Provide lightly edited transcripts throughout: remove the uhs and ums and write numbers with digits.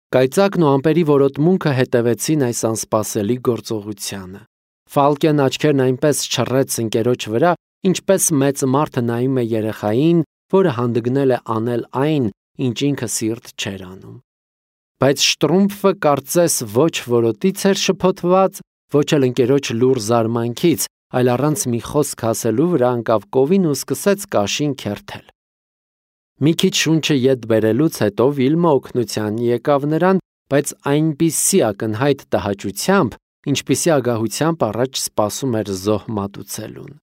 Կայծակն ու ամպերի որոտմունքը հետևեցին այս անսպասելի գործողությանը։ Ֆալկեն աչքերն այնպես չռեց ընկերոջ վրա, ինչպես մեծ մարդը նայում է երեխային, որը հանդգնել է անել այն, ինչ ինքը սիրտ չէր անում։ Բայց Շտրումֆը կարծես ոչ որոտից էր շփոթված, ոչ էլ ընկերոջ լուռ զարմանքից, այլ առանց մի խոսք ասելու վրա ընկավ կովին ու սկսեց կաշին քերթել։ Մի քիչ շունչը ետ բերելուց հետո Վիլմը օգնության եկավ նրան, բայց այնպիսի ակնհայտ տհաճությամբ, ինչպիսի ագահությամբ առաջ սպասում էր զոհ մատուցելուն։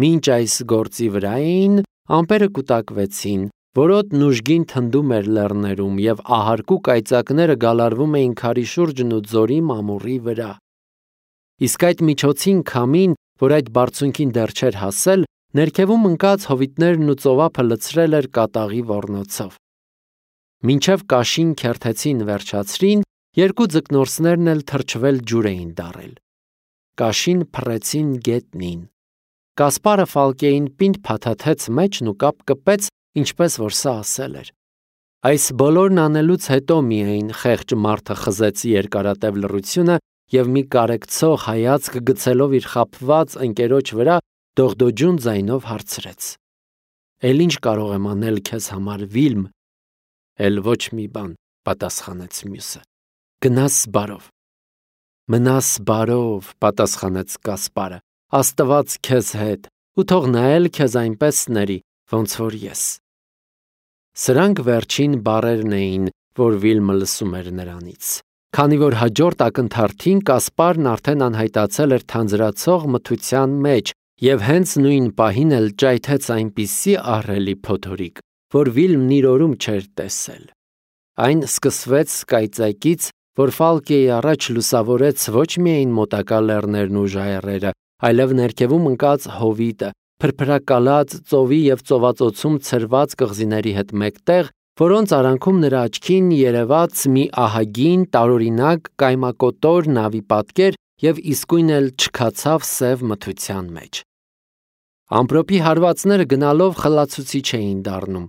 Մինչ այս գործի վրա էին, ամպերը կուտակվեցին, որոտն ուժգին թնդում էր լեռներում, և ահարկու կայծակները գալարվում էին քարի շուրջն ու ձորի մամուռի վրա։ Իսկ այդ միջոցին քամին, որ այդ բարձունքին դեռ չէր հասել, ներքևում ընկած հովիտներն ու ծովափը լցրել էր կատաղի ոռնոցով։ Մինչև կաշին քերթեցին վերջացրին, երկու ձկնորսներն էլ թրջվել ջուր էին դառել։ Կաշին փռեցին գետնին։ Կասպարը Ֆալկեին պինդ փաթաթեց մեջն ու կապ կպեց, ինչպես որ սա ասել էր։ Այս բոլորն անելուց հետո միայն խեղճ մարդը խզեց երկարատև լռությունը և մի կարեկցող հայացք գցելով իր խաբված ընկերոջ վրա, դողդոջուն ձայնով հարցրեց. «Էլ ինչ կարող եմ անել քեզ համար, Վիլմ»։ «Էլ ոչ մի բան», պատասխանեց մյուսը։ «Գնաս բարով»։ «Մնաս բարով», պատասխանեց Կասպարը, «Աստված քեզ հետ, ու թող նա էլ քեզ այնպես ների, ոնց որ ես»։ Սրանք վերջին բառերն էին, որ Վիլմը լսում էր նրանից, քանի որ հաջորդ ակնթարթին Կասպարն արդեն անհայտացել էր թանձրացող մթության մեջ և հենց նույն պահին էլ ճայթեց այնպիսի ահռելի փոթորիկ, որ Վիլմն իր օրում չէր տեսել։ Այն սկսվեց կայծակից, որ Ֆալկեի առաջ լուսավորեց ոչ միայն մոտակա լեռներն ու ժայռերը, այլև ներքևում ընկած հովիտը, փրփրակալած ծովի և ծովածոցում ցրված կղզիների հետ մեկտեղ, որոնց արանքում նրա աչքին երևաց մի ահագին, տարօրինակ, կայմակոտոր նավի պատկեր և իսկույն էլ չքացավ սև մթության մեջ։ Ամպրոպի հարվածները գնալով խլացուցիչ էին դառնում։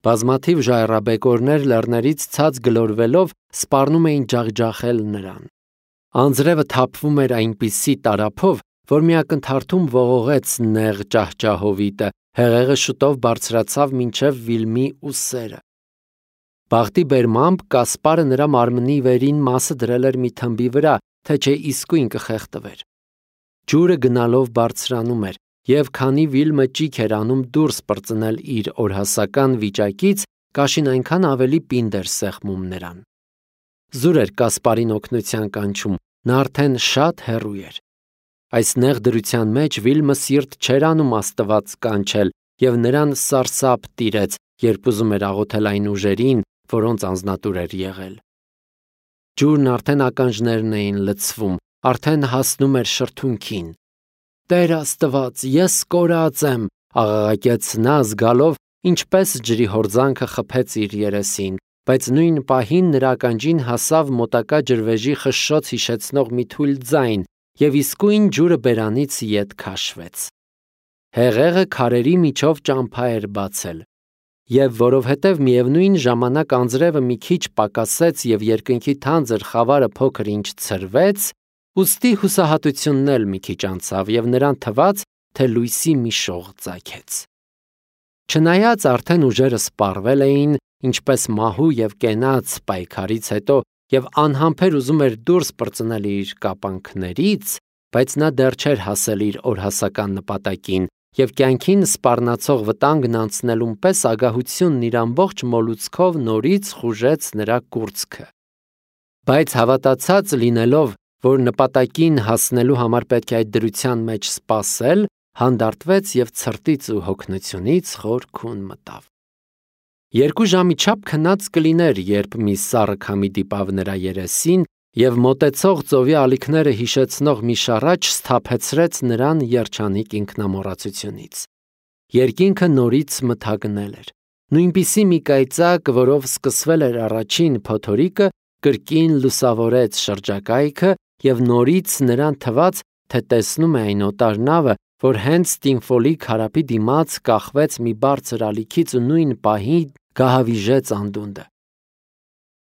Բազմաթիվ ժայռաբեկորներ լեռներից ցած գլորվելով սպառնում էին ջախջախել նրան։ Անձրևը թափվում էր այնպիսի տարափով, որ մի ակնթարթում ողողեց նեղ ճահճահովիտը, հեղեղը շուտով բարձրացավ մինչև Վիլմի ուսերը։ Բախտի բերմամբ Կասպարը նրա մարմնի վերին մասը դրել էր մի թմբի վրա, թե չէ իսկույն կխեղդվեր։ Ջուրը գնալով բարձրանում էր, և քանի Վիլմը ճիգ էր անում դուրս պրծնել իր օրհասական վիճակից, կաշին այնքան ավելի պինդ էր սեղմում նրան։ Զուր էր Կասպարին օգնության կանչում, նա արդեն շատ հեռու էր։ Այս նեղ դրության մեջ Վիլմը սիրտ չէր անում Աստված կանչել, և նրան սարսափ տիրեց, երբ ուզում էր աղոթել այն ուժերին, որոնց անձնատուր էր եղել։ Ջուրն արդեն ականջներն էին լցվում, արդեն հասնում էր շրթունքին։ «Տեր Աստված, ես կորած եմ», աղաղակեց նա, զգալով, ինչպես ջրի հորձանքը խփեց իր երեսին, բայց նույն պահին նրա ականջին հասավ մոտակա ջրվեժի խշշոց հիշեցնող մի թույլ ձայն, և իսկույն ջուրը բերանից ետ քաշվեց։ Հեղեղը քարերի միջով ճամփա էր բացել, և որովհետև միևնույն ժամանակ անձրևը մի քիչ պակասեց և երկնքի թանձր խավարը փոքր ինչ ցրվեց, ուստի հուսահատությունն էլ մի քիչ անցավ, և նրան թվաց, թե լույսի մի շող ծագեց։ Չնայած արդեն ուժերը սպառվել էին, ինչպես մահու և կենաց պայքարից հետո, և անհամբեր ուզում էր դուրս պրծնել իր կապանքներից, բայց նա դեռ չէր հասել իր օրհասական նպատակին, և կյանքին սպառնացող վտանգն անցնելուն պես ագահությունն իր ամբողջ մոլուցքով նորից խուժեց նրա կուրծքը։ Բայց հավատացած լինելով, որ նպատակին հասնելու համար պետք է այդ դրության մեջ սպասել, հանդարտվեց և ցրտից ու հոգնությունից խոր քուն մտավ։ 2 ժամի չափ քնած կլիներ, երբ մի սառը քամի դիպավ նրա երեսին, և մոտեցող ծովի ալիքները հիշեցնող մի շառաչ սթափեցրեց նրան երջանիկ ինքնամոռացությունից։ Երկինքը նորից մթագնել էր։ Նույնպիսի մի կայծակ, որով սկսվել էր առաջին փոթորիկը, կրկին լուսավորեց շրջակայքը, և նորից նրան թվաց, թե տեսնում է այն օտար նավը, որ հենց Ստինֆոլի քարափի դիմաց կախվեց մի բարձր ալիքից ու նույն պահին գահավիժեց անդունդը։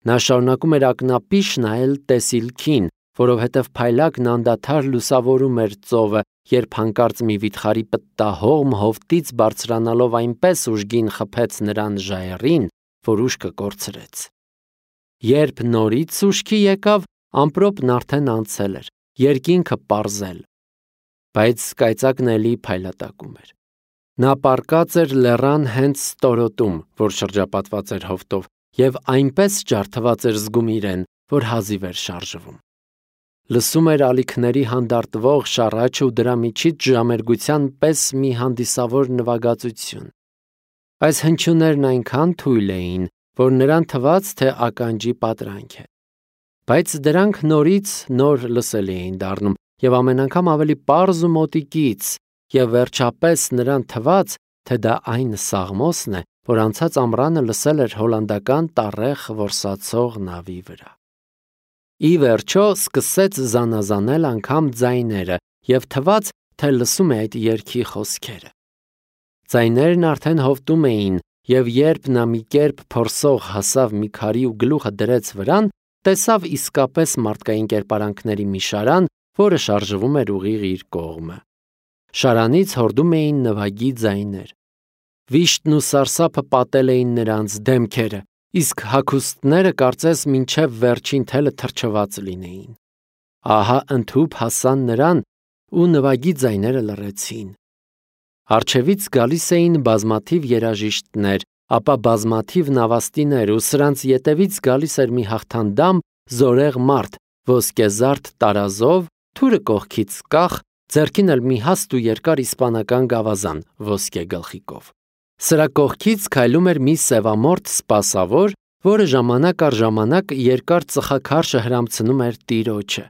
Նա շարունակում էր ակնապիշ նայել տեսիլքին, որովհետև փայլակն անդադար լուսավորում էր ծովը, երբ հանկարծ մի վիթխարի պտտահողմ հովտից բարձրանալով այնպես ուժգին խփեց նրան ժայռին, որ ուշքը կորցրեց։ Երբ նորից ուշքի եկավ, ամպրոպն արդեն անցել էր, երկինքը պարզել, բայց կայծակն էլի փայլատակում էր։ Նա պառկած էր լեռան հենց ստորոտում, որ շրջապատված էր հովտով, և այնպես ջարդված էր զգում իրեն, որ հազիվ էր շարժվում։ Լսում էր ալիքների հանդարտվող շառաչը ու դրա միջից ժամերգության պես մի հանդիսավոր նվագածություն։ Այս հնչյուններն այնքան թույլ էին, որ նրան թվաց, թե ականջի պատրանք է։ Բայց դրանք նորից նոր լսելի էին դառնում և ամեն անգամ ավելի պարզ ու մոտիկից, և վերջապես նրան թվաց, թե դա այն Սաղմոսն է, որ անցած ամռանը լսել էր հոլանդական տառեղ որսացող նավի վրա։ Ի վերջո սկսեց զանազանել անգամ ձայները և թվաց, թե լսում է այդ երգի խոսքերը։ Ձայներն արդեն հովտում էին, և երբ նա մի կերպ փորսող հասավ մի քարի ու գլուխը դրեց վրան, տեսավ իսկապես մարդկային կերպարանքների մի շարան, որը շարժվում էր ուղիղ իր կողմը։ Շարանից հորդում էին նվագի ձայներ։ Վիշտն ու սարսափը պատել էին նրանց դեմքերը, իսկ հագուստները կարծես մինչև վերջին թելը թրջված լինեին։ Ահա ընդհուպ հասան նրան ու նվագի ձայները լռեցին։ Առջևից գալիս էին բազմաթիվ երաժիշտներ, ապա բազմաթիվ նավաստիներ ու սրանց ետևից գալիս էր մի հաղթանդամ զորեղ մարդ, ոսկեզարդ տարազով, թուրը կողքից կախ, ձեռքին էլ մի հաստ ու երկար իսպանական գավազան ոսկե գլխիկով։ Սրա կողքից քայլում էր մի սևամորթ սպասավոր, որը ժամանակ առ ժամանակ երկար ծխաքարշը հրամցնում էր տիրոջը։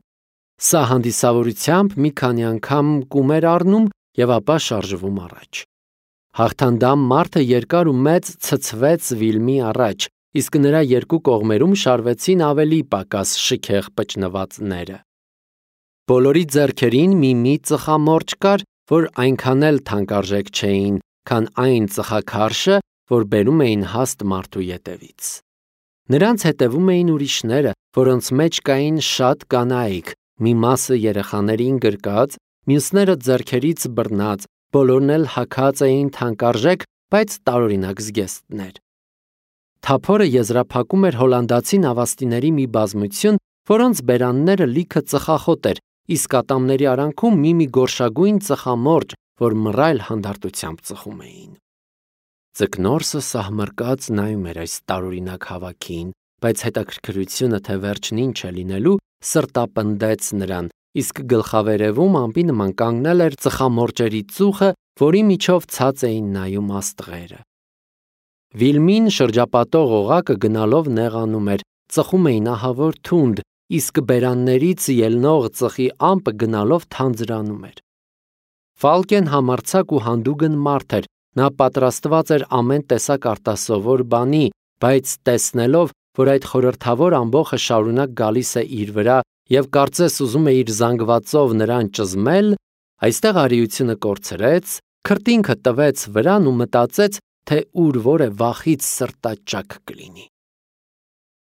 Սա հանդիսավորությամբ մի քանի անգամ կում էր առնում և ապա շարժվում առաջ։ Հաղթանդամ մարդը երկար ու մեծ ցցվեց Վիլմի առաջ, իսկ նրա երկու կողմերում շարվեցին ավելի պակաս շքեղ պճնվածները։ Բոլորի ձեռքերին մի ծխամորճ կար, որ այնքան էլ թանկարժեք չէին, քան այն ծխաքարշը, որ բերում էին հաստ մարդու ետևից։ Նրանց հետևում էին ուրիշները, որոնց մեջ կային շատ կանայք, մի մասը երեխաներին գրկած, մյուսները ձեռքերից բռնած, բոլորն էլ հագած էին թանկարժեք, բայց տարօրինակ զգեստներ։ Թափորը եզրափակում էր հոլանդացի նավաստիների մի բազմություն, որոնց բերանները լիքը ծխախոտ էր, իսկ ատամների արանքում մի գորշագույն ծխամորճ, որ մռայլ հանդարտությամբ ծխում էին։ Ձկնորսը սահմռկած նայում էր այս տարօրինակ հավաքին, բայց հետաքրքրությունը, թե վերջն ինչ է լինելու, սրտապնդեց նրան, իսկ գլխավերևում ամպի նման կանգնել էր ծխամորճերի ծուխը, որի միջով ցած էին նայում աստղերը։ Վիլմին շրջապատող օղակը գնալով նեղանում էր, ծխում էին ահավոր թունդ, իսկ բերաններից ելնող ծխի ամպը գնալով թանձրանում էր։ Ֆալկեն համարձակ ու հանդուգն մարդ էր, նա պատրաստված էր ամեն տեսակ արտասովոր բանի, բայց տեսնելով, որ այդ խորհրդավոր ամբոխը շարունակ գալիս է իր վրա և կարծես ուզում է իր զանգվածով նրան ճզմել, այստեղ արիությունը կորցրեց, քրտինքը տվեց վրան ու մտածեց, թե ուր որ է վախից սրտաճաք կլինի։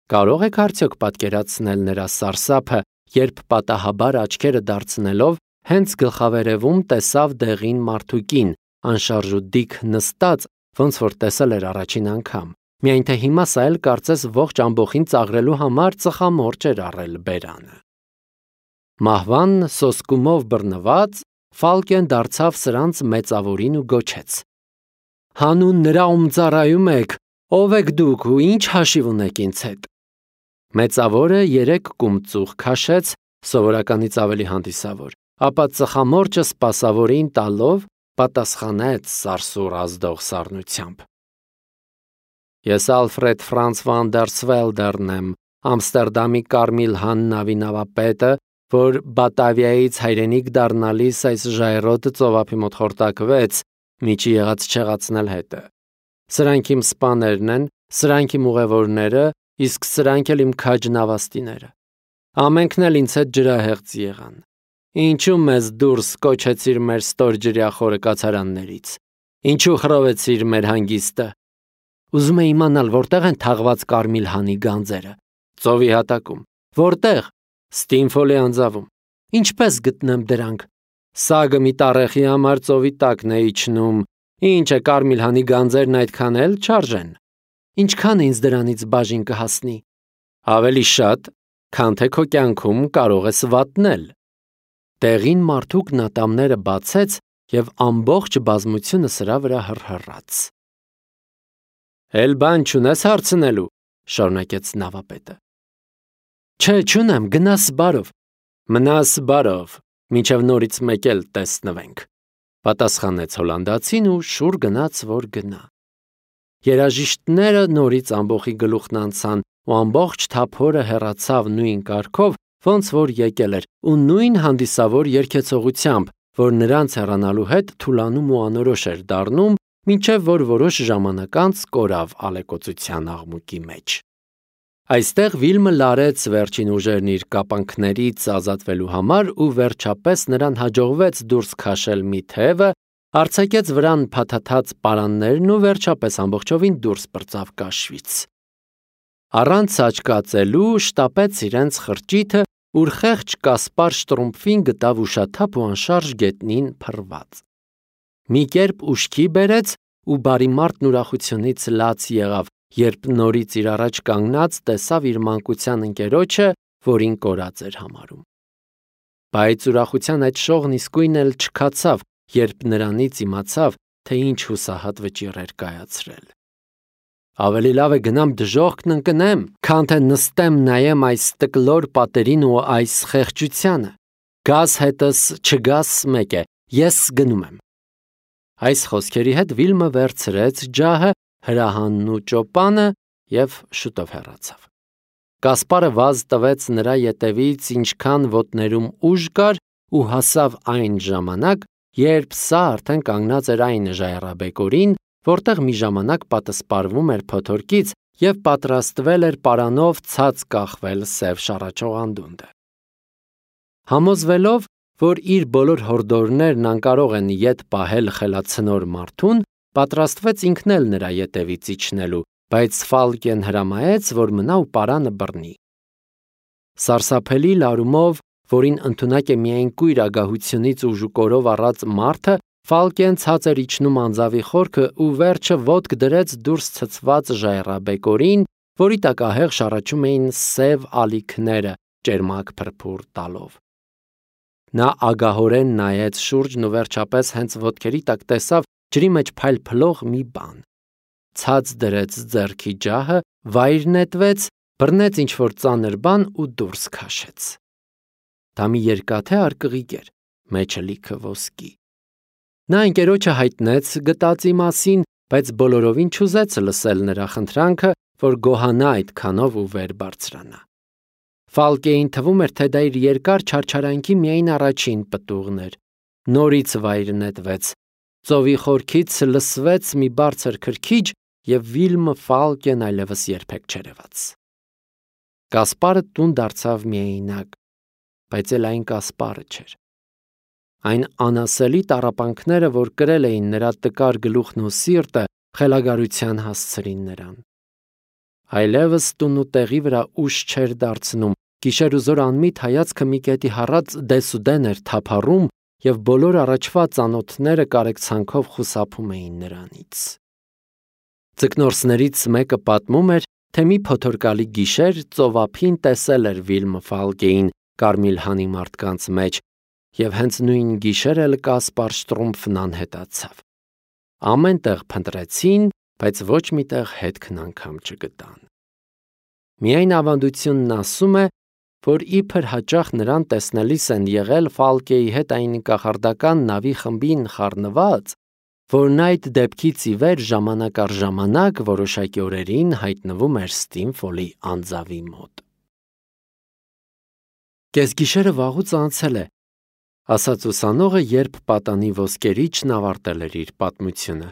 Կարող եք արդյոք պատկերացնել նրա սարսափը, երբ պատահաբար աչքերը դարձնելով, հենց գլխավերևում տեսավ դեղին մարդուկին, անշարժ ու դիկ նստած, ոնց որ տեսել էր առաջին անգամ, միայն թե հիմա սա էլ կարծես ողջ ամբոխին ծաղրելու համար ծխամորճ էր առել բերանը։ Մահվան սոսկումով բռնված, Ֆալկեն դարձավ սրանց մեծավորին ու գոչեց. «Հանուն նրա, ում ծառայում եք, ով եք դուք ու ինչ հաշիվ ունեք ինձ հետ»։ Մեծավորը 3 կում ծուխ քաշեց, սովորականից ավելի հանդիսավոր, ապա ծխամորճը սպասավորին տալով պատասխանեց սարսուռ ազդող սառնությամբ. «Ես Ալֆրեդ Ֆրանց վան դեր Սվելդերն եմ, Ամստերդամի Կարմիլ Han նավի նավապետը, որ Բատավիայից հայրենիք դառնալիս այս ժայռոտ ծովափի մոտ խորտակվեց, միջի եղած չեղացնել հետը։ Սրանք իմ սպաներն են, սրանք իմ ուղևորները, իսկ սրանք էլ իմ քաջ նավաստիները։ Ամենքն էլ ինձ հետ ջրահեղձ եղան։ Ինչու մեզ դուրս կոչեցիր մեր ստորջրյա խորը կացարաններից։ Ինչու խռովեցիր մեր հանգիստը։ Ուզում է իմանալ, որտեղ են թաղված Կարմիլ Հանի գանձերը։ Ծովի հատակում։ Որտեղ։ Ստինֆոլի անձավում։ Ինչպես գտնեմ դրանք։ Սագը մի տառեխի համար ծովի տակն է իջնում։ Ինչ է Կարմիլհանի գանձերն այդքան էլ չարժեն։ Ինչքան ինձ դրանից բաժին կհասնի։ Ավելի շատ, քան թե քո կյանքում կարող ես վատնել։ Տեղին մարդուկն ատամները բացեց և ամբողջ բազմությունը սրա վրա հռհռաց։ Էլ բան չունես հարցնելու, շարունակեց նավապետը։ Չէ, չունեմ, գնաս բարով։ Մնաս բարով, մինչև նորից մեկ էլ տեսնվենք, պատասխանեց հոլանդացին ու շուռ գնաց, որ գնա։ Երաժիշտները նորից ամբոխի գլուխն անցան ու ամբողջ թափորը հեռացավ նույն կարգով, ոնց որ եկել էր, ու նույն հանդիսավոր երգեցողությամբ, որ նրանց հեռանալու հետ թուլանում ու անորոշ էր դառնում, մինչև որ որոշ ժամանակ անց կորավ ալեկոծության աղմուկի մեջ։ Այստեղ Վիլմը լարեց վերջին ուժերն իր կապանքներից ազատվելու համար ու վերջապես նրան հաջողվեց դուրս քաշել մի թևը, արձակեց վրան փաթաթած պարաններն ու վերջապես ամբողջովին դուրս պրծավ կաշվից։ Առանց աչկացելու շտապեց իրենց խրճիթը, ուր խեղճ Կասպար Շտրումփին գտավ ուշաթափ ու անշարժ գետնին փռված։ Մի կերպ ուշքի բերեց ու բարի մարդն ուրախությունից լաց եղավ, երբ նորից իր առաջ կանգնած տեսավ իր մանկության ընկերոջը, որին կորած էր համարում։ Բայց ուրախության այդ շողն իսկույն էլ չքացավ, երբ նրանից իմացավ, թե ինչ հուսահատ վճիռ էր կայացրել։ Ավելի լավ է գնամ դժոխքն ընկնեմ, քան թե նստեմ նայեմ այս տկլոր պատերին ու այս խեղճությանը։ Գաս հետս չգաս մեկ է, ես գնում եմ։ Այս խոսքերի հետ Վիլմը վերցրեց ջահը, հրահանն ու ճոպանը և շուտով հեռացավ։ Կասպարը վազ տվեց նրա ետևից, ինչքան ոտներում ուժ կար ու հասավ այն ժամանակ, երբ սա արդեն կանգնած էր այն ժայռաբեկորին, որտեղ մի ժամանակ պատսպարվում էր փոթորկից և պատրաստվել էր պարանով ցած կախվել սև շառաչող անդունդը։ Համոզվելով, որ իր բոլոր հորդորներն անկարող են ետ պահել խելացնոր մարդուն, պատրաստվեց ինքն էլ նրա ետևից իջնելու, բայց Ֆալկեն հրամայեց, որ մնա ու պարանը բռնի։ Սարսափելի լարումով, որին ընդունակ է միայն կույր ագահությունից ու ժուկորով առած մարդը, Ֆալկեն ցած էր իջնում անձավի խորքը ու վերջը ոտք դրեց դուրս ցցված ժայռաբեկորին, որի տակ ահեղ շառաչում էին սև ալիքները, ճերմակ փրփուր տալով։ Նա ագահորեն նայեց շուրջն ու վերջապես հենց ոտքերի տակ տեսավ ջրի մեջ փայլփլող մի բան։ Ցած դրեց ձեռքի ջահը, վայր նետվեց, բռնեց ինչ-որ ծանր բան ու դուրս քաշեց։ Դա մի երկաթե արկղիկ էր, մեջը լիքը ոսկի։ Նա ընկերոջը հայտնեց գտածի մասին, բայց բոլորովին չուզեց լսել նրա խնդրանքը, որ գոհանա այդքանով ու վեր բարձրանա։ Ֆալկեին թվում էր, թե դա իր երկար չարչարանքի միայն առաջին պտուղն էր։ Նորից վայր նետվեց։ Ծովի խորքից լսվեց մի բարձր քրքիջ և Վիլմը Ֆալկեն այլևս երբեք չերևաց։ Կասպարը տուն դարձավ միայնակ, բայց էլ այն Կասպարը չէր։ Այն անասելի տառապանքները, որ կրել էին նրա տկար գլուխն ու սիրտը, խելագարության հասցրին նրան։ Այլևս տուն ու տեղի վրա ուժ չէր դարձնում, գիշեր ու զօր անմիտ հայացքը մի կետի հառած դեսուդեն էր թափառում և բոլոր առաջվա ծանոթները կարեկցանքով խուսափում էին նրանից։ Ձկնորսներից մեկը պատմում էր, թե մի փոթորկալի գիշեր ծովափին տեսել էր Վիլմը Ֆալկեին Կարմիլհանի մարդկանց մեջ, և հենց նույն գիշեր էլ Կասպար Շտրումփն անհետացավ։ Ամեն տեղ փնտրեցին, բայց ոչ մի տեղ հետքն անգամ չգտան։ Միայն ավանդությունն ասում է, որ իբր հաճախ նրան տեսնելիս են եղել Ֆալկեի հետ այն կախարդական նավի խմբին խառնված, որն այդ դեպքից ի վեր ժամանակ առ ժամանակ որոշակի օրերին հայտնվում էր Ստինֆոլի անձավի մոտ։ Կեսգիշերը վաղուց անցել է, ասաց ուսանողը, երբ պատանի ոսկերիչն ավարտել էր իր պատմությունը։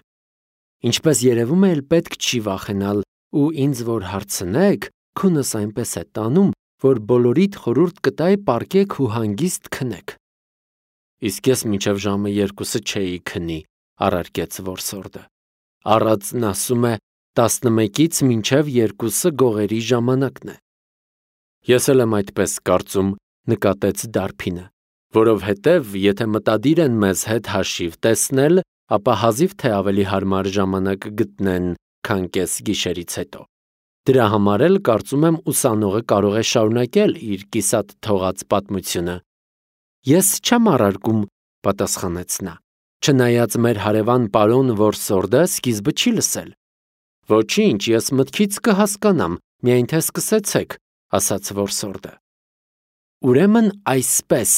Ինչպես երևում է, էլ պետք չի վախենալ, ու ինձ որ հարցնեք, քունս այնպես է տանում, որ բոլորիդ խորհուրդ կտայի պառկեք ու հանգիստ քնեք։ Իսկ ես մինչև ժամը 2-ը չէի քնի, առարկեց որսորդը։ Առածն ասում է 11-ից մինչև 2-ը գողերի ժամանակն է։ Ես էլ եմ այդպես կարծում, նկատեց Դարբինը, որովհետև եթե մտադիր են մեզ հետ հաշիվ տեսնել, ապա հազիվ թե ավելի հարմար ժամանակ գտնեն, քան կես գիշերից հետո։ Դրա համար էլ կարծում եմ ուսանողը կարող է շարունակել իր կիսատ թողած պատմությունը։ Ես չեմ առարկում, պատասխանեց նա, չնայած մեր հարևան պարոն Որսորդը սկիզբը չի լսել։ Ոչինչ, ես մտքից կհասկանամ, միայն թե սկսեցեք, ասաց Որսորդը։ Ուրեմն այսպես։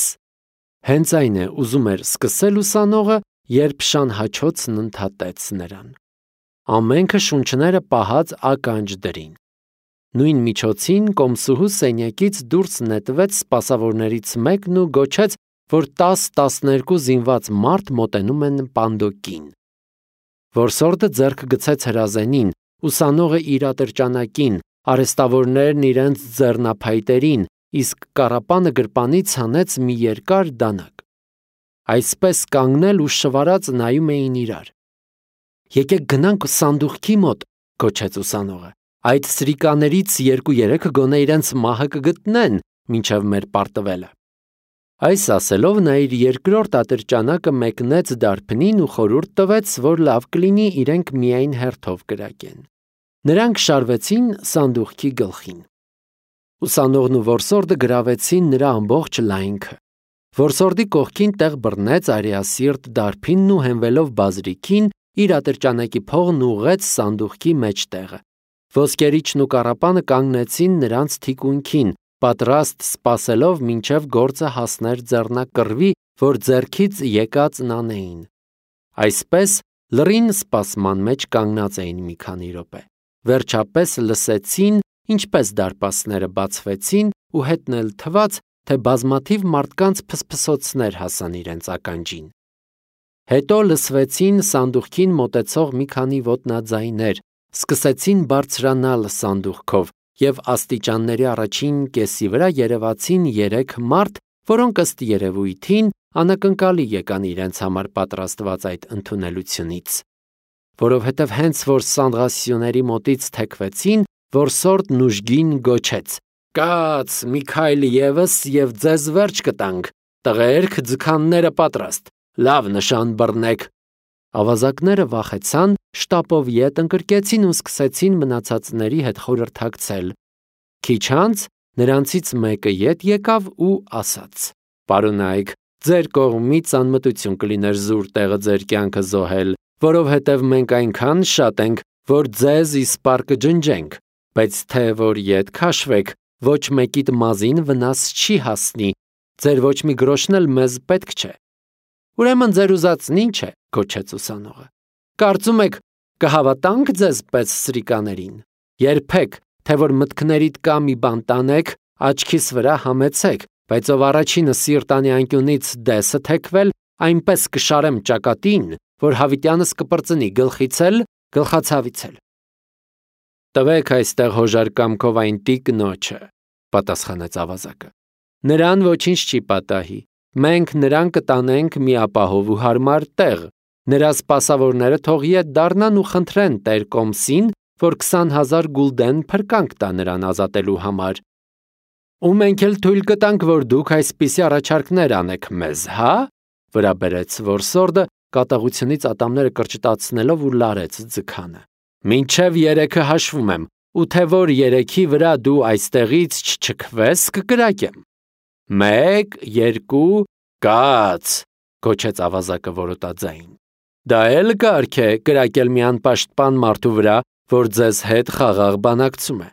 Հենց այն է, ուզում էր սկսել ուսանողը, երբ շան հաչոցն ընդհատեց նրան։ Ամենքը շունչները պահած ականջ դրին։ Նույն միջոցին կոմսուհու սենյակից դուրս նետվեց սպասավորներից մեկն ու գոչեց, որ 10-12 զինված մարդ մոտենում են պանդոկին։ Որսորդը ձեռք գցեց հրազենին, ուսանողը իր ատրճանակին, արհեստավորներն իրենց ձեռնափայտերին, իսկ կառապանը գրպանից հանեց մի երկար դանակ։ Այսպես կանգնել ու շվարած նայում էին իրար։ Եկեք գնանք սանդուղքի մոտ, գոչեց ուսանողը։ Այդ սրիկաներից 2-3 գոնե իրենց մահը կգտնեն, մինչև մեր պարտվելը։ Այս ասելով նա իր երկրորդ ատրճանակը մեկնեց Դարբնին ու խորհուրդ տվեց, որ լավ կլինի իրենք միայն հերթով կրակեն։ Նրանք շարվեցին սանդուղքի գլխին։ Ուսանողն ու որսորդը գրավեցին նրա ամբողջ լայնքը։ Որսորդի կողքին տեղ բռնեց արիասիրտ Դարբինն ու հենվելով բազրիքին իր ատրճանակի փողն ուղղեց սանդուղքի մեջտեղը։ Ոսկերիչն ու կառապանը կանգնեցին նրանց թիկունքին, պատրաստ սպասելով մինչև գործը հասներ ձեռնակռվի, որ ձեռքից եկածն անեին։ Այսպես լռին սպասման մեջ կանգնած էին մի քանի րոպե։ Վերջապես լսեցին, ինչպես դարպասները բացվեցին ու հետն էլ թվաց, թե բազմաթիվ մարդկանց փսփսոցներ հասան իրենց ականջին։ Հետո լսվեցին սանդուղքին մոտեցող մի քանի ոտնաձայներ, սկսեցին բարձրանալ սանդուղքով և աստիճանների առաջին կեսի վրա երևացին 3 մարդ, որոնք ըստ երևույթին անակնկալի եկան իրենց համար պատրաստված այդ ընդունելությունից։ Որովհետև հենց որ Սանդղասիոների մոտից թեքվեցին, Որսորդն ուժգին գոչեց. «Կաց, մի քայլ ևս և ձեզ վերջ կտանք, տղերք, ձգանները պատրաստ, լավ նշան բռնեք»։ Ավազակները վախեցան, շտապով ետ ընկրկեցին ու սկսեցին մնացածների հետ խորհրդակցել։ Քիչ անց նրանցից մեկը ետ եկավ ու ասաց. «Պարոնայք, ձեր կողմից անմտություն կլիներ զուր տեղը ձեր կյանքը զոհել, որովհետև մենք այնքան շատ ենք, որ ձեզ իսպառ կջնջենք, բայց թե որ ետ քաշվեք, ոչ մեկիդ մազին վնաս չի հասնի, ձեր ոչ մի գրոշն էլ մեզ պետք չէ»։ Ուրեմն ձեր ուզածն ինչ է, գոչեց ուսանողը։ Կարծում եք, կհավատանք ձեզ պես սրիկաներին։ Երբեք, թե որ մտքներիդ կա մի բան տանեք, աչքիս վրա համեցեք, բայց ով առաջինը սիրտանի անկյունից դեսը թեքվել, այնպես կշարեմ ճակատին, որ հավիտյանս կպրծնի գլխից էլ, գլխացավից էլ։ Տվեք այստեղ հոժար կամքով այն տիկնոջը, պատասխանեց ավազակը։ Նրան ոչինչ չի պատահի։ Մենք նրան կտանենք մի ապահով ու հարմար տեղ։ Նրա սպասավորները թող ետ դառնան ու խնդրեն տեր կոմսին, որ 20,000 գուլդեն փրկանք տա նրան ազատելու համար։ Ու մենք էլ թույլ կտանք, որ դուք այսպիսի առաջարկներ անեք մեզ, հա՞, վրա բերեց Որսորդը, կատաղությունից ատամները կրճտացնելով ու լարեց ձգանը։ Մինչև 3-ը հաշվում եմ, ու թե որ 3-ի վրա դու այստեղից չչքվես, կկրակեմ։ 1, 2, կաց, գոչեց ավազակը որոտաձայն։ Դա էլ կարգ է կրակել մի անպաշտպան մարդու վրա, որ ձեզ հետ խաղաղ բանակցում է։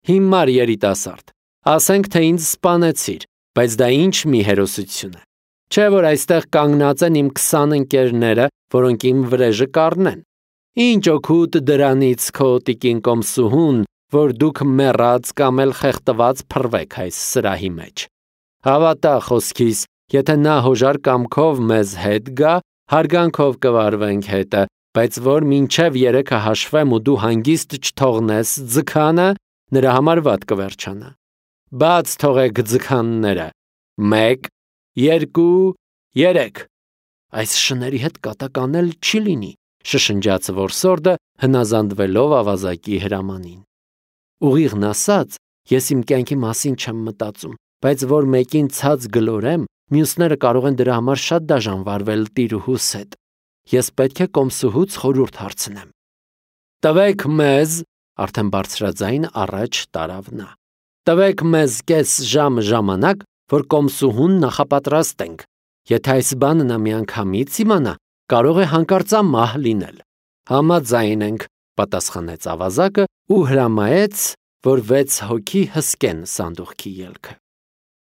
Հիմար երիտասարդ, ասենք թե ինձ սպանեցիր, բայց դա ինչ մի հերոսություն է։ Չէ որ այստեղ կանգնած են իմ 20 ընկերները, որոնք իմ վրեժը կառնեն։ Ինչ օգուտ դրանից քո տիկին կոմսուհուն, որ դուք մեռած կամ էլ խեղդված փռվեք այս սրահի մեջ։ Հավատա խոսքիս, եթե նա հոժար կամքով մեզ հետ գա, հարգանքով կվարվենք հետը, բայց որ մինչև 3-ը հաշվեմ ու դու հանգիստ չթողնես ձգանը, նրա համար վատ կվերջանա։ Բաց թողեք ձգանները։ 1, 2, 3։ Այս շների հետ կատակ անել չի լինի, շշնջաց Որսորդը, հնազանդվելով ավազակի հրամանին։ Ուղիղն ասած, Ես իմ կյանքի մասին չեմ մտածում, բայց որ մեկին ցած գլորեմ, մյուսները կարող են դրա համար շատ դաժան վարվել տիրուհուս հետ։ Ես պետք է կոմսուհուց խորհուրդ հարցնեմ։ Տվեք մեզ, արդեն բարձրաձայն առաջ տարավ նա։ Տվեք մեզ կես ժամ ժամանակ, որ կոմսուհուն նախապատրաստենք։ Եթե այս բանը նա միանգամից իմանա, կարող է հանկարծամահ լինել։ Համաձայն ենք, պատասխանեց ավազակը ու հրամայեց, որ 6 հոգի հսկեն սանդուղքի ելքը։